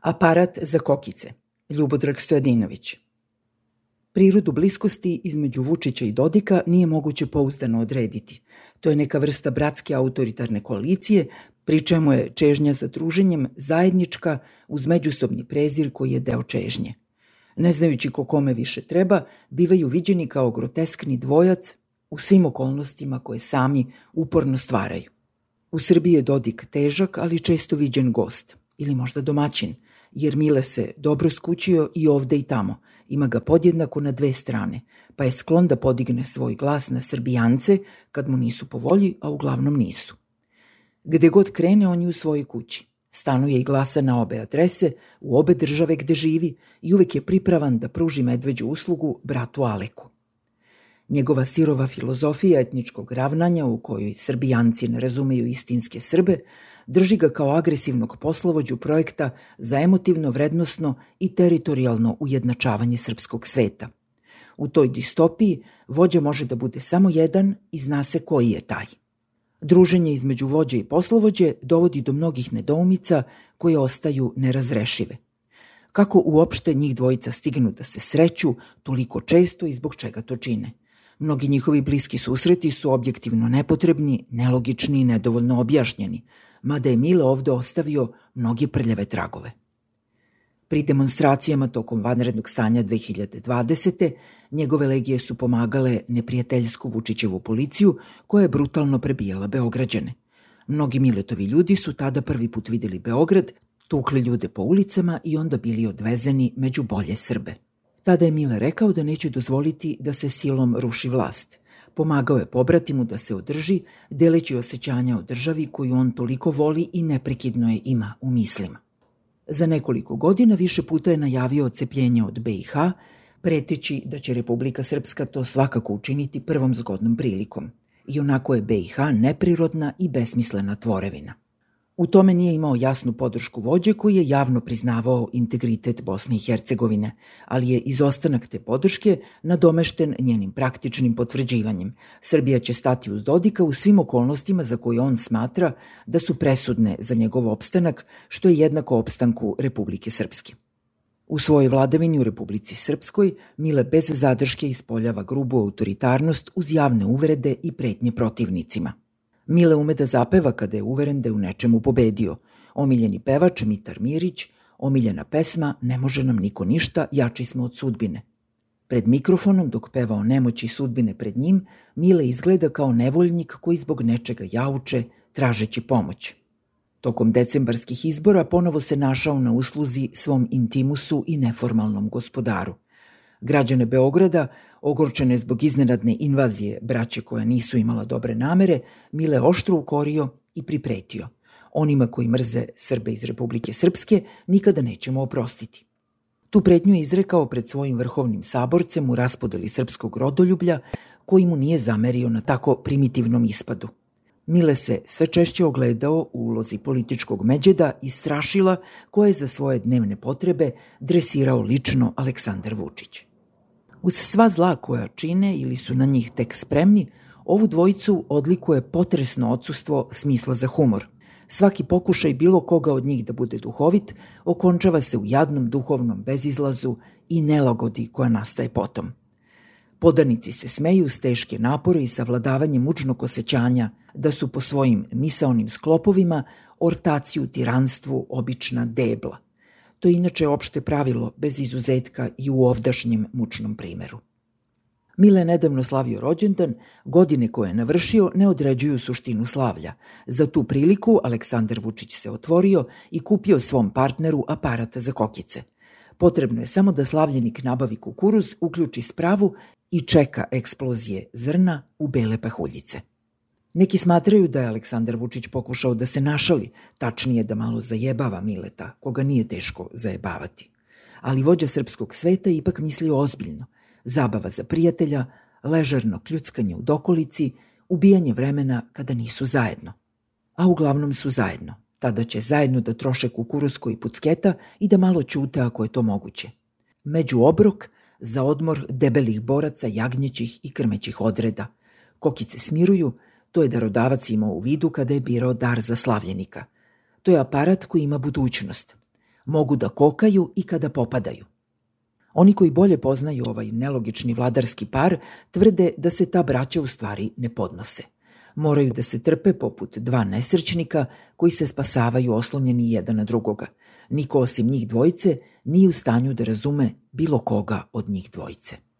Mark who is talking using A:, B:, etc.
A: Aparat za kokice. Ljubodrag Stojadinović. Prirodu bliskosti između Vučića i Dodika nije moguće pouzdano odrediti. To je neka vrsta bratske autoritarne koalicije, pri čemu je čežnja za druženjem zajednička uz međusobni prezir koji je deo čežnje. Ne znajući ko kome više treba, bivaju viđeni kao groteskni dvojac u svim okolnostima koje sami uporno stvaraju. U Srbiji je Dodik težak, ali često viđen gost, ili možda domaćin, jer Mile se dobro skućio i ovde i tamo, ima ga podjednako na dve strane, pa je sklon da podigne svoj glas na Srbijance kad mu nisu po volji, a uglavnom nisu. Gde god krene, on je u svojoj kući. Stanuje i glasa na obe adrese, u obe države gde živi i uvek je pripravan da pruži medveđu uslugu bratu Aleku. Njegova sirova filozofija etničkog ravnanja, u kojoj Srbijanci ne razumeju istinske Srbe, drži ga kao agresivnog poslovođu projekta za emotivno, vrednosno i teritorijalno ujednačavanje srpskog sveta. U toj distopiji vođa može da bude samo jedan i zna se koji je taj. Druženje između vođe i poslovođe dovodi do mnogih nedoumica koje ostaju nerazrešive. Kako uopšte njih dvojica stignu da se sreću toliko često i zbog čega to čine? Mnogi njihovi bliski susreti su objektivno nepotrebni, nelogični i nedovoljno objašnjeni, mada je Mile ovde ostavio mnoge prljave tragove. Pri demonstracijama tokom vanrednog stanja 2020. njegove legije su pomagale neprijateljsku Vučićevu policiju koja je brutalno prebijala Beograđane. Mnogi Miletovi ljudi su tada prvi put videli Beograd, tukli ljude po ulicama i onda bili odvezeni među bolje Srbe. Tada je Mile rekao da neće dozvoliti da se silom ruši vlast. Pomagao je pobratimu da se održi, deleći osjećanja o državi koju on toliko voli i neprekidno je ima u mislima. Za nekoliko godina više puta je najavio odcepljenje od BiH, preteći da će Republika Srpska to svakako učiniti prvom zgodnom prilikom. I onako je BiH neprirodna i besmislena tvorevina. U tome nije imao jasnu podršku vođe koji je javno priznavao integritet Bosne i Hercegovine, ali je izostanak te podrške nadomešten njenim praktičnim potvrđivanjem. Srbija će stati uz Dodika u svim okolnostima za koje on smatra da su presudne za njegov opstanak, što je jednako opstanku Republike Srpske. U svojoj vladavini u Republici Srpskoj Mile bez zadrške ispoljava grubu autoritarnost uz javne uvrede i pretnje protivnicima. Mile ume da zapeva kada je uveren da je u nečemu pobedio. Omiljeni pevač Mitar Mirić, omiljena pesma Ne može nam niko ništa, jači smo od sudbine. Pred mikrofonom, dok peva o nemoći sudbine pred njim, Mile izgleda kao nevoljnik koji zbog nečega jauče, tražeći pomoć. Tokom decembarskih izbora ponovo se našao na usluzi svom intimusu i neformalnom gospodaru. Građane Beograda, ogorčene zbog iznenadne invazije braće koja nisu imala dobre namere, Mile oštro ukorio i pripretio. Onima koji mrze Srbe iz Republike Srpske nikada nećemo oprostiti. Tu pretnju je izrekao pred svojim vrhovnim saborcem u raspodeli srpskog rodoljublja, koji mu nije zamerio na tako primitivnom ispadu. Mile se sve češće ogledao u ulozi političkog međeda i strašila koje je za svoje dnevne potrebe dresirao lično Aleksandar Vučić. Uz sva zla koja čine ili su na njih tek spremni, ovu dvojicu odlikuje potresno odsustvo smisla za humor. Svaki pokušaj bilo koga od njih da bude duhovit okončava se u jadnom duhovnom bezizlazu i nelagodi koja nastaje potom. Podanici se smeju s teške napore i savladavanjem mučnog osjećanja da su po svojim misaonim sklopovima ortaci u tiranstvu obična debla. To je inače opšte pravilo, bez izuzetka i u ovdašnjem mučnom primeru. Mile nedavno slavio rođendan, godine koje je navršio ne određuju suštinu slavlja. Za tu priliku Aleksandar Vučić se otvorio i kupio svom partneru aparat za kokice. Potrebno je samo da slavljenik nabavi kukuruz, uključi spravu i čeka eksplozije zrna u bele pahuljice. Neki smatraju da je Aleksandar Vučić pokušao da se našali, tačnije da malo zajebava Mileta, koga nije teško zajebavati. Ali vođa srpskog sveta ipak mislio ozbiljno. Zabava za prijatelja, ležerno kljuckanje u dokolici, ubijanje vremena kada nisu zajedno. A uglavnom su zajedno. Tada će zajedno da troše kukuruzko i pucketa i da malo ćute ako je to moguće. Među obrok za odmor debelih boraca jagnjećih i krmećih odreda. Kokice smiruju, to je darodavac imao u vidu kada je birao dar za slavljenika. To je aparat koji ima budućnost. Mogu da kokaju i kada popadaju. Oni koji bolje poznaju ovaj nelogični vladarski par tvrde da se ta braća u stvari ne podnose. Moraju da se trpe poput dva nesrećnika koji se spasavaju oslonjeni jedan na drugoga. Niko osim njih dvojice nije u stanju da razume bilo koga od njih dvojice.